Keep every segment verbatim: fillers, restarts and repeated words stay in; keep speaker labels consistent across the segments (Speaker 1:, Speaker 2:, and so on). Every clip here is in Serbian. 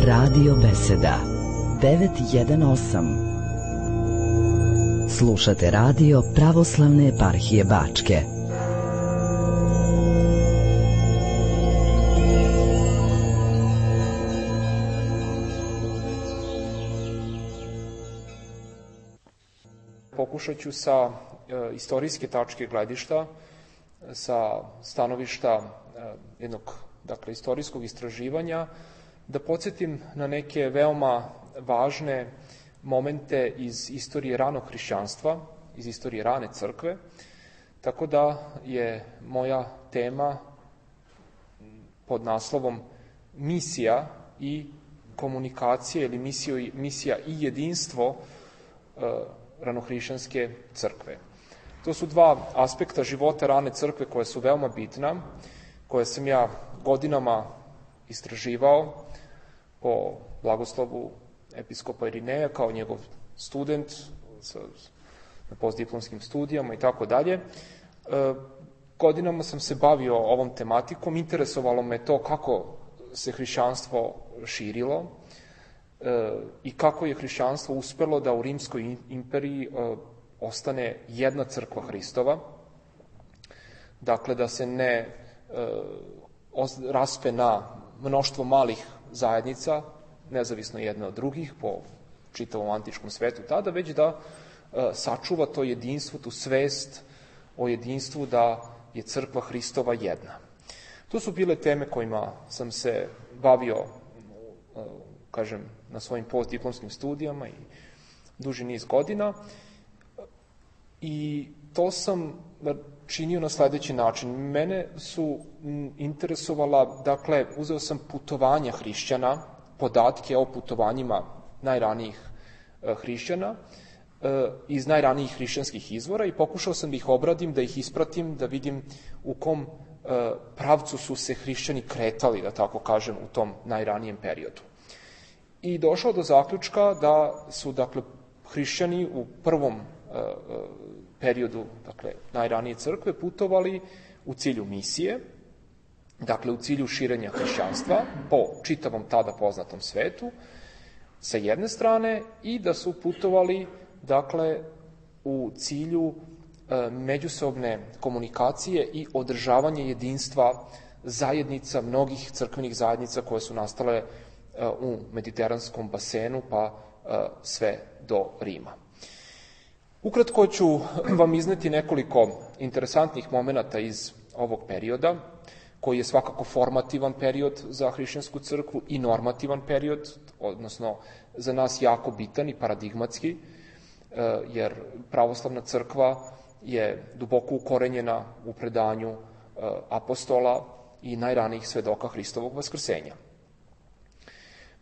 Speaker 1: Radio Beseda devet jedan osam. Slušate radio Pravoslavne eparhije Bačke.
Speaker 2: Pokušat ću sa e, istorijske tačke gledišta, sa stanovišta e, jednog dakle, istorijskog istraživanja, da podsjetim na neke veoma važne momente iz istorije ranog hrišćanstva, iz istorije rane crkve, tako da je moja tema pod naslovom misija i komunikacija ili misija, misija i jedinstvo e, ranohrišćanske crkve. To su dva aspekta života rane crkve koja su veoma bitna, koje sam ja godinama istraživao po blagoslovu episkopa Irineja kao njegov student na postdiplomskim studijama i tako dalje. Godinama sam se bavio ovom tematikom, interesovalo me to kako se hrišćanstvo širilo i kako je hrišćanstvo uspelo da u Rimskoj imperiji ostane jedna crkva Hristova, dakle da se ne raspe na mnoštvo malih zajednica, nezavisno jedne od drugih po čitavom antičkom svetu tada, već da sačuva to jedinstvo, tu svest o jedinstvu da je crkva Hristova jedna. To su bile teme kojima sam se bavio, kažem, na svojim postdiplomskim studijama i duži niz godina. I to sam činio na sledeći način. Mene su interesovala, dakle, uzeo sam putovanja hrišćana, podatke o putovanjima najranijih hrišćana iz najranijih hrišćanskih izvora i pokušao sam da ih obradim, da ih ispratim, da vidim u kom pravcu su se hrišćani kretali, da tako kažem, u tom najranijem periodu. I došao do zaključka da su, dakle, hrišćani u prvom periodu, dakle, najranije crkve, putovali u cilju misije, dakle, u cilju širenja hrišćanstva po čitavom tada poznatom svetu, sa jedne strane, i da su putovali, dakle, u cilju e, međusobne komunikacije i održavanje jedinstva zajednica, mnogih crkvenih zajednica koje su nastale e, u mediteranskom basenu, pa e, sve do Rima. Ukratko ću vam izneti nekoliko interesantnih momenata iz ovog perioda, koji je svakako formativan period za hrišćansku crkvu i normativan period, odnosno za nas jako bitan i paradigmatski, jer pravoslavna crkva je duboko ukorenjena u predanju apostola i najranijih svedoka Hristovog vaskrsenja.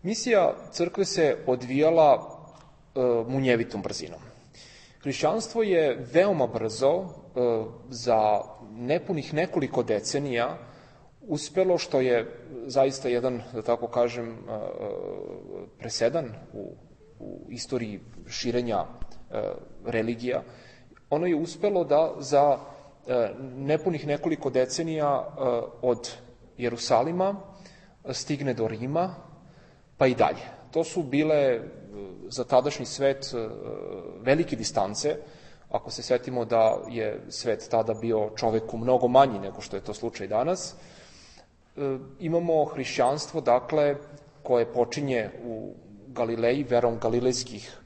Speaker 2: Misija crkve se odvijala munjevitom brzinom. Hrišćanstvo je veoma brzo, za nepunih nekoliko decenija, uspelo, što je zaista jedan, da tako kažem, presedan u, u istoriji širenja religija. Ono je uspelo da za nepunih nekoliko decenija od Jerusalima stigne do Rima, pa i dalje. To su bile za tadašnji svet velike distance, ako se setimo da je svet tada bio čoveku mnogo manji nego što je to slučaj danas. Imamo hrišćanstvo, dakle, koje počinje u Galileji, verom galilejskih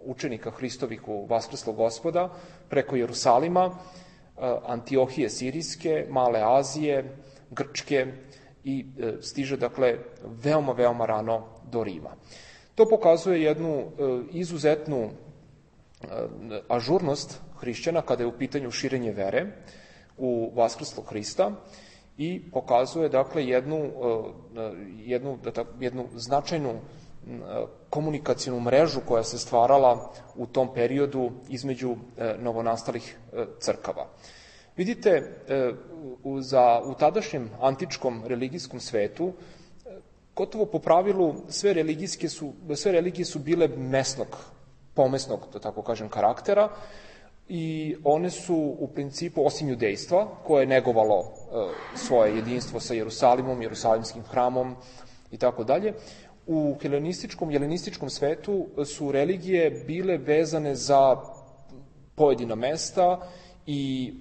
Speaker 2: učenika Hristovih u Vaskrslog Gospoda, preko Jerusalima, Antiohije Sirijske, Male Azije, Grčke i stiže, dakle, veoma, veoma rano do Rima. To pokazuje jednu izuzetnu ažurnost hrišćana kada je u pitanju širenje vere u Vaskrslog Hrista i pokazuje, dakle, jednu, jednu, jednu značajnu komunikacijnu mrežu koja se stvarala u tom periodu između novonastalih crkava. Vidite, za, u tadašnjem antičkom religijskom svetu, gotovo po pravilu, sve religijske su, sve religije su bile mesnog, pomesnog, da tako kažem, karaktera, i one su u principu, osim judejstva, koje je negovalo uh, svoje jedinstvo sa Jerusalimom, Jerusalimskim hramom i tako dalje, u helenističkom, jelenističkom svetu su religije bile vezane za pojedina mesta i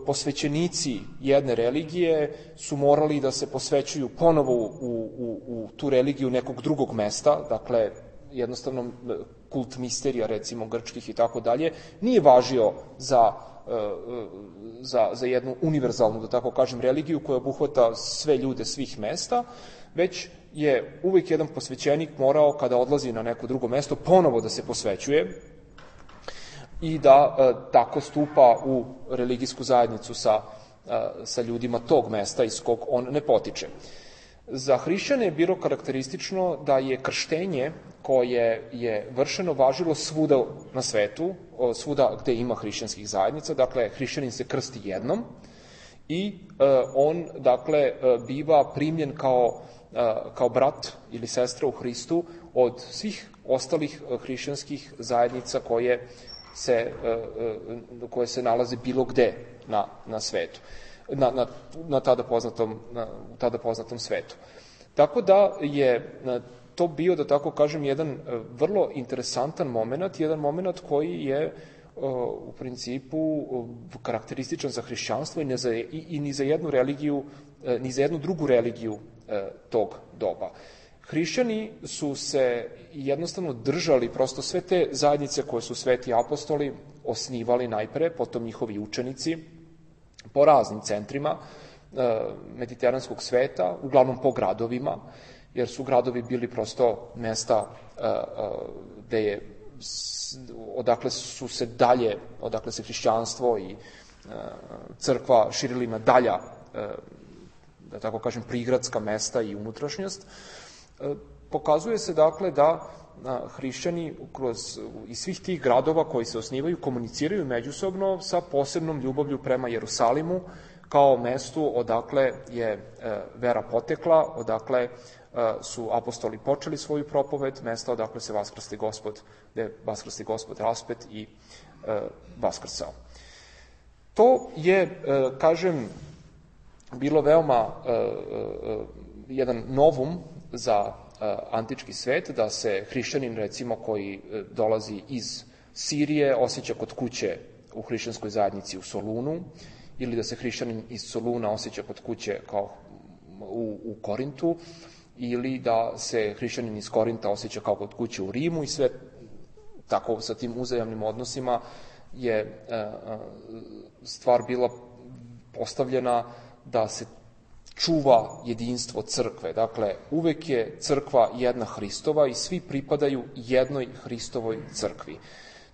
Speaker 2: posvećenici jedne religije su morali da se posvećuju ponovo u, u, u tu religiju nekog drugog mesta, dakle, jednostavno kult misterija, recimo, grčkih i tako dalje, nije važio za, za, za jednu univerzalnu, da tako kažem, religiju koja obuhvata sve ljude svih mesta, već je uvijek jedan posvećenik morao, kada odlazi na neko drugo mesto, ponovo da se posvećuje i da e, tako stupa u religijsku zajednicu sa, e, sa ljudima tog mesta iz kog on ne potiče. Za hrišćane je bilo karakteristično da je krštenje koje je vršeno važilo svuda na svetu, svuda gde ima hrišćanskih zajednica, dakle, hrišćanin se krsti jednom i e, on, dakle, e, biva primljen kao, e, kao brat ili sestra u Hristu od svih ostalih hrišćanskih zajednica koje se, koje se nalaze bilo gde na, na svetu, na, na, na, tada poznatom, na tada poznatom svetu. Tako da je to bio, da tako kažem, jedan vrlo interesantan moment, jedan moment koji je u principu karakterističan za hrišćanstvo i, ne za, i, i ni za jednu religiju, ni za jednu drugu religiju tog doba. Hrišćani su se jednostavno držali, prosto sve te zajednice koje su sveti apostoli osnivali najpre, potom njihovi učenici, po raznim centrima e, mediteranskog sveta, uglavnom po gradovima, jer su gradovi bili prosto mesta e, e, gde je, odakle su se dalje, odakle se hrišćanstvo i e, crkva širili na dalja, e, da tako kažem, prigradska mesta i unutrašnjost. Pokazuje se, dakle, da hrišćani kroz, iz svih tih gradova koji se osnivaju komuniciraju međusobno sa posebnom ljubavlju prema Jerusalimu kao mestu odakle je vera potekla, odakle su apostoli počeli svoju propoved, mesta odakle se vaskrsti Gospod, gde vaskrsti Gospod raspet i vaskrsao. To je, kažem, bilo veoma jedan novum za antički svet, da se hrišćanin, recimo, koji dolazi iz Sirije, osjeća kod kuće u hrišćanskoj zajednici u Solunu, ili da se hrišćanin iz Soluna osjeća kod kuće kao u, u Korintu, ili da se hrišćanin iz Korinta osjeća kao kod kuće u Rimu, i sve tako sa tim uzajamnim odnosima je stvar bila postavljena da se čuva jedinstvo crkve. Dakle, uvek je crkva jedna Hristova i svi pripadaju jednoj Hristovoj crkvi.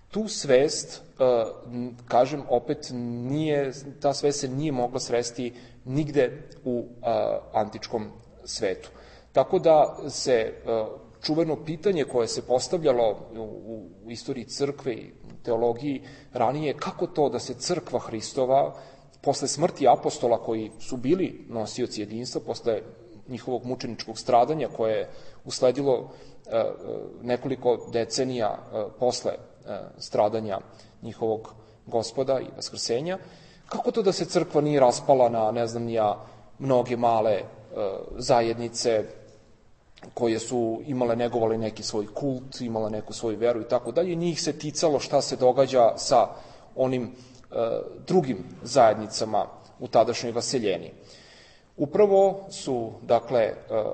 Speaker 2: Tu svest, kažem, opet nije, ta svest se nije mogla sresti nigde u antičkom svetu. Tako da se čuveno pitanje koje se postavljalo u, u istoriji crkve i teologiji ranije, kako to da se crkva Hristova posle smrti apostola koji su bili nosioci jedinstva, posle njihovog mučeničkog stradanja koje je usledilo nekoliko decenija posle stradanja njihovog Gospoda i vaskrsenja, kako to da se crkva nije raspala na, ne znam nija, mnoge male zajednice koje su imale, negovali neki svoj kult, imale neku svoju veru i tako dalje, njih se ticalo šta se događa sa onim drugim zajednicama u tadašnjoj vaseljeni. Upravo su, dakle,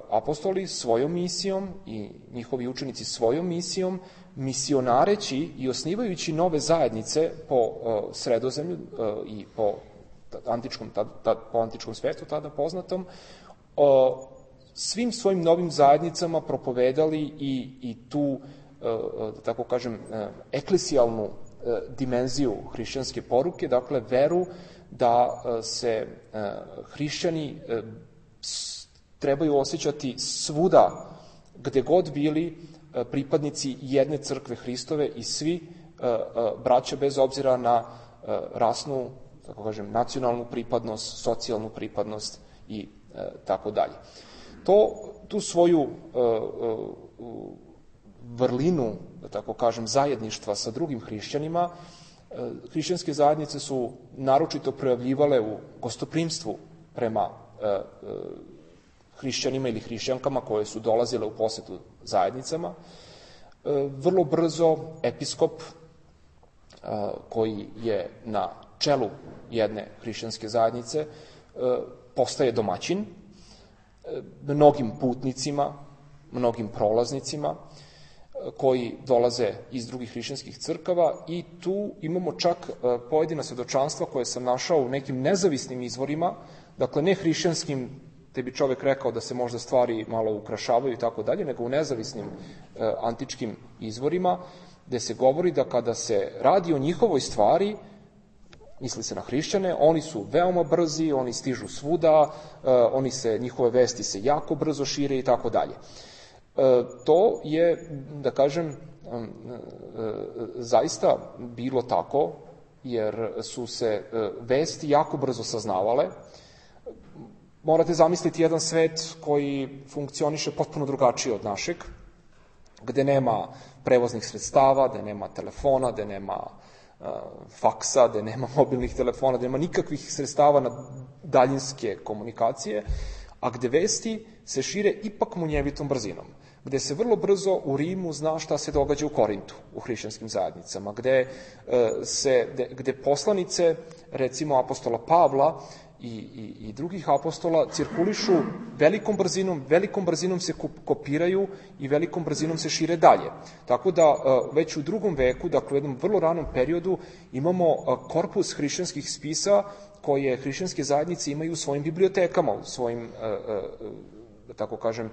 Speaker 2: apostoli svojom misijom i njihovi učenici svojom misijom, misionareći i osnivajući nove zajednice po Sredozemlju i po antičkom, po antičkom svetu tada poznatom, svim svojim novim zajednicama propovedali i, i tu, da tako kažem, eklesijalnu dimenziju hrišćanske poruke, dakle veru da se hrišćani trebaju osjećati svuda gde god bili pripadnici jedne crkve Hristove i svi braća bez obzira na rasnu, tako kažem, nacionalnu pripadnost, socijalnu pripadnost i tako dalje. To, tu svoju vrlinu, da tako kažem, zajedništva sa drugim hrišćanima, hrišćanske zajednice su naročito projavljivale u gostoprimstvu prema hrišćanima ili hrišćankama koje su dolazile u posetu zajednicama. Vrlo brzo episkop koji je na čelu jedne hrišćanske zajednice postaje domaćin mnogim putnicima, mnogim prolaznicima koji dolaze iz drugih hrišćanskih crkava i tu imamo čak pojedina svedočanstva koje sam našao u nekim nezavisnim izvorima, dakle ne hrišćanskim, te bi čovek rekao da se možda stvari malo ukrašavaju i tako dalje, nego u nezavisnim antičkim izvorima, gde se govori da kada se radi o njihovoj stvari, misli se na hrišćane, oni su veoma brzi, oni stižu svuda, oni se, njihove vesti se jako brzo šire i tako dalje. To je, da kažem, zaista bilo tako, jer su se vesti jako brzo saznavale. Morate zamisliti jedan svet koji funkcioniše potpuno drugačije od našeg, gde nema prevoznih sredstava, gde nema telefona, gde nema faksa, gde nema mobilnih telefona, gde nema nikakvih sredstava na daljinske komunikacije, a gde vesti se šire ipak munjevitom brzinom, gde se vrlo brzo u Rimu zna šta se događa u Korintu, u hrišćanskim zajednicama, gde, se, gde, gde poslanice, recimo apostola Pavla i, i, i drugih apostola, cirkulišu velikom brzinom, velikom brzinom se kopiraju i velikom brzinom se šire dalje. Tako da već u drugom veku, dakle u jednom vrlo ranom periodu, imamo korpus hrišćanskih spisa koje hrišćanske zajednice imaju u svojim bibliotekama, u svojim, da tako kažem,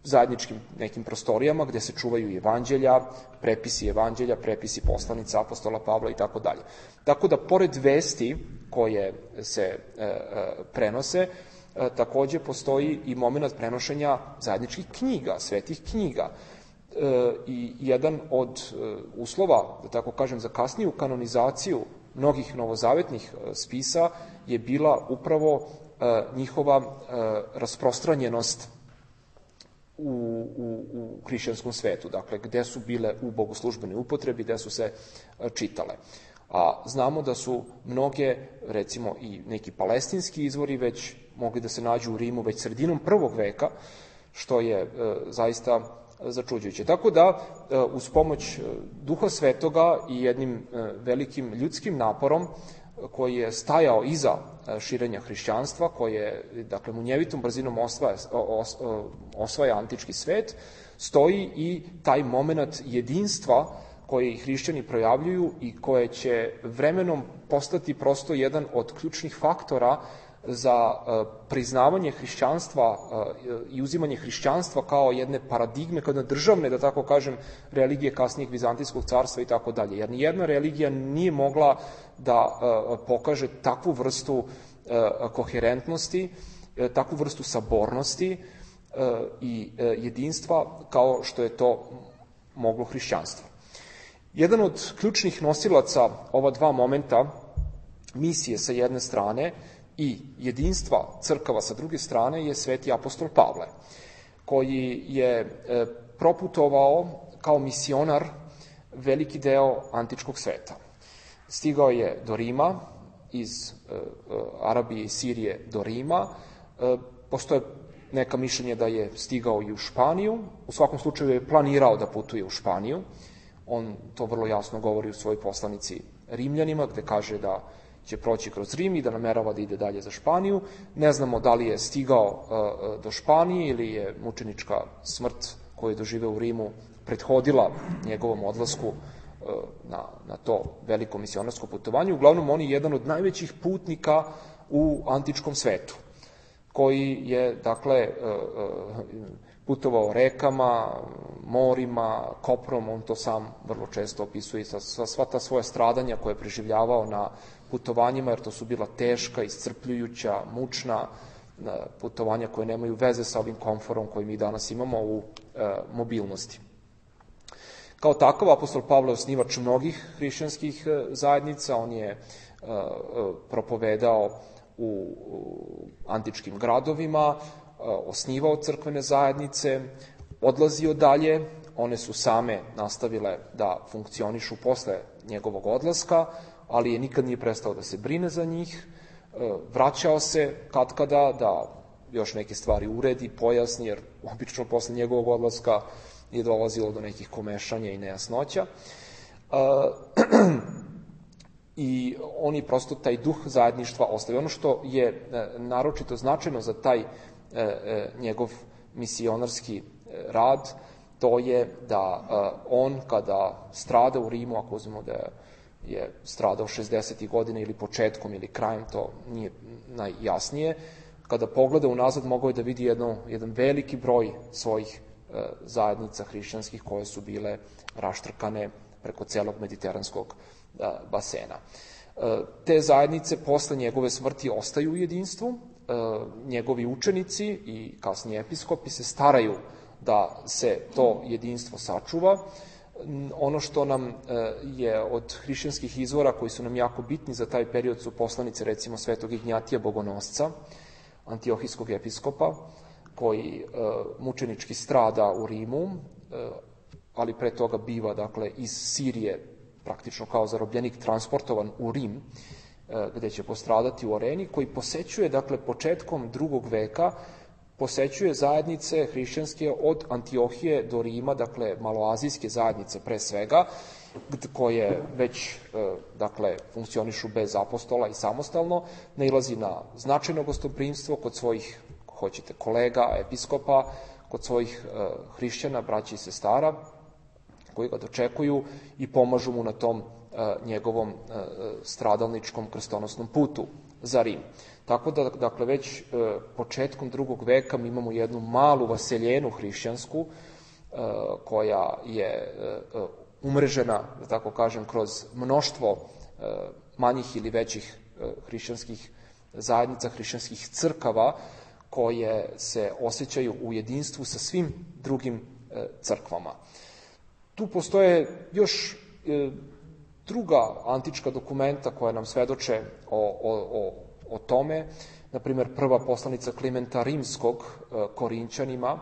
Speaker 2: zajedničkim nekim prostorijama gde se čuvaju i evanđelja, prepisi evanđelja, prepisi poslanica apostola Pavla i tako dalje. Tako da, pored vesti koje se e, e, prenose, e, takođe postoji i moment prenošenja zajedničkih knjiga, svetih knjiga. E, I jedan od e, uslova, da tako kažem, za kasniju kanonizaciju mnogih novozavetnih e, spisa je bila upravo e, njihova e, rasprostranjenost U, u, u hrišćanskom svetu, dakle, gde su bile u bogoslužbenoj upotrebi, gde su se čitale. A znamo da su mnoge, recimo i neki palestinski izvori već mogli da se nađu u Rimu već sredinom prvog veka, što je e, zaista začuđujuće. Tako da, e, uz pomoć Duha Svetoga i jednim e, velikim ljudskim naporom, koji je stajao iza širenja hrišćanstva, koje, dakle, munjevitom brzinom osvaja, os, osvaja antički svet, stoji i taj moment jedinstva koji hrišćani projavljuju i koje će vremenom postati prosto jedan od ključnih faktora za priznavanje hrišćanstva i uzimanje hrišćanstva kao jedne paradigme, kao jedne državne, da tako kažem, religije kasnijeg Vizantijskog carstva i tako dalje. Jer nijedna religija nije mogla da pokaže takvu vrstu koherentnosti, takvu vrstu sabornosti i jedinstva kao što je to moglo hrišćanstvo. Jedan od ključnih nosilaca ova dva momenta, misije sa jedne strane i jedinstva crkava sa druge strane, je sveti apostol Pavle, koji je proputovao kao misionar veliki deo antičkog sveta. Stigao je do Rima, iz Arabije i Sirije do Rima. Postoje neka mišljenja da je stigao i u Španiju. U svakom slučaju je planirao da putuje u Španiju. On to vrlo jasno govori u svojoj poslanici Rimljanima, gde kaže da će proći kroz Rim i da namerava da ide dalje za Španiju. Ne znamo da li je stigao do Španije ili je mučenička smrt koju je doživeo u Rimu prethodila njegovom odlasku na, na to veliko misionarsko putovanje. Uglavnom, on je jedan od najvećih putnika u antičkom svetu, koji je, dakle, putovao rekama, morima, koprom, on to sam vrlo često opisuje, sa sva ta svoja stradanja koje je preživljavao na putovanjima, jer to su bila teška, iscrpljujuća, mučna putovanja koje nemaju veze sa ovim komforom koji mi danas imamo u e, mobilnosti. Kao takav, apostol Pavle je osnivač mnogih hrišćanskih zajednica, on je e, propovedao u, u antičkim gradovima, e, osnivao crkvene zajednice, odlazio dalje, one su same nastavile da funkcionišu posle njegovog odlaska, ali je nikad nije prestao da se brine za njih, vraćao se katkada da još neke stvari uredi, pojasni, jer obično posle njegovog odlaska je dolazilo do nekih komešanja i nejasnoća. I oni prosto taj duh zajedništva ostavio. Ono što je naročito značajno za taj njegov misionarski rad, to je da on kada strada u Rimu, ako uzmemo da je stradao šezdesetih godina ili početkom ili krajem, to nije najjasnije, kada pogleda unazad mogao je da vidi jedno, jedan veliki broj svojih zajednica hrišćanskih koje su bile raštrkane preko celog mediteranskog basena. Te zajednice posle njegove smrti ostaju u jedinstvu, njegovi učenici i kasnije episkopi se staraju da se to jedinstvo sačuva. Ono što nam je od hrišćanskih izvora koji su nam jako bitni za taj period su poslanice recimo svetog Ignjatija Bogonosca, antiohijskog episkopa, koji mučenički strada u Rimu, ali pre toga biva dakle iz Sirije praktično kao zarobljenik transportovan u Rim, gde će postradati u areni, koji posećuje dakle početkom drugog veka, posećuje zajednice hrišćanske od Antiohije do Rima, dakle maloazijske zajednice pre svega, koje već dakle funkcionišu bez apostola i samostalno, nailazi na značajno gostoprimstvo kod svojih, hoćete, kolega, episkopa, kod svojih hrišćana, braća i sestara, koji ga dočekuju i pomažu mu na tom njegovom stradalničkom krstonosnom putu za Rim. Tako da, dakle, već početkom drugog veka mi imamo jednu malu vaseljenu hrišćansku koja je umrežena, da tako kažem, kroz mnoštvo manjih ili većih hrišćanskih zajednica, hrišćanskih crkava koje se osjećaju u jedinstvu sa svim drugim crkvama. Tu postoje još druga antička dokumenta koja nam svedoče o, o, o, o tome. Naprimjer, prva poslanica Klimenta Rimskog Korinćanima,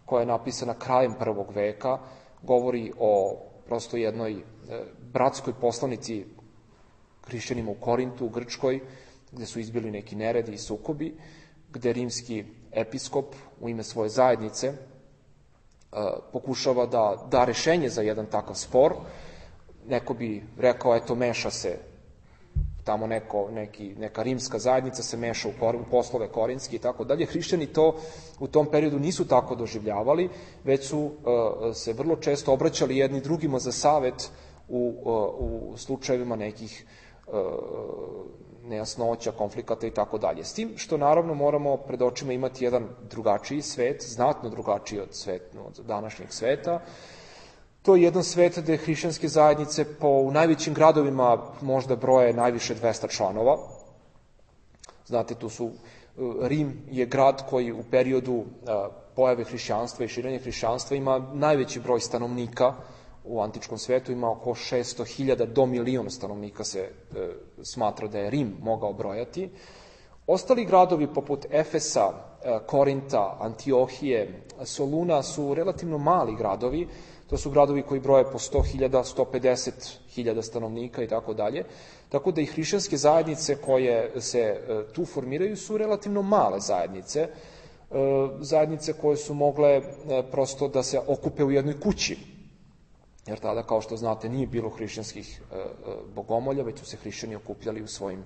Speaker 2: koja je napisana krajem prvog veka, govori o prosto jednoj bratskoj poslanici hrišćanima u Korintu, u Grčkoj, gde su izbili neki neredi i sukobi, gde rimski episkop u ime svoje zajednice pokušava da da rešenje za jedan takav spor. Neko bi rekao, eto, meša se tamo neko, neki, neka rimska zajednica se meša u, kor, u poslove korinski i tako dalje. Hrišćani to u tom periodu nisu tako doživljavali, već su uh, se vrlo često obraćali jedni drugima za savet u, uh, u slučajevima nekih uh, nejasnoća, konflikata i tako dalje. S tim što naravno moramo pred očima imati jedan drugačiji svet, znatno drugačiji od, svet, od današnjeg sveta. To je jedan svet gde hrišćanske zajednice po u najvećim gradovima možda broje najviše dvesta članova. Znate, tu su, Rim je grad koji u periodu pojave hrišćanstva i širenja hrišćanstva ima najveći broj stanovnika u antičkom svetu, ima oko šesto hiljada do milion stanovnika se e, smatra da je Rim mogao brojati. Ostali gradovi poput Efesa, e, Korinta, Antiohije, Soluna su relativno mali gradovi. To su gradovi koji broje po sto hiljada, sto pedeset hiljada stanovnika i tako dalje. Tako da i hrišćanske zajednice koje se e, tu formiraju su relativno male zajednice. E, zajednice koje su mogle e, prosto da se okupe u jednoj kući. Jer tada, kao što znate, nije bilo hrišćanskih e, bogomolja, već su se hrišćani okupljali u svojim, e,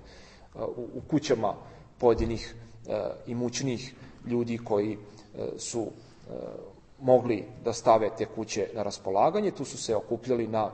Speaker 2: u, u kućama pojedinih e, imućnih ljudi koji e, su e, mogli da stave te kuće na raspolaganje. Tu su se okupljali na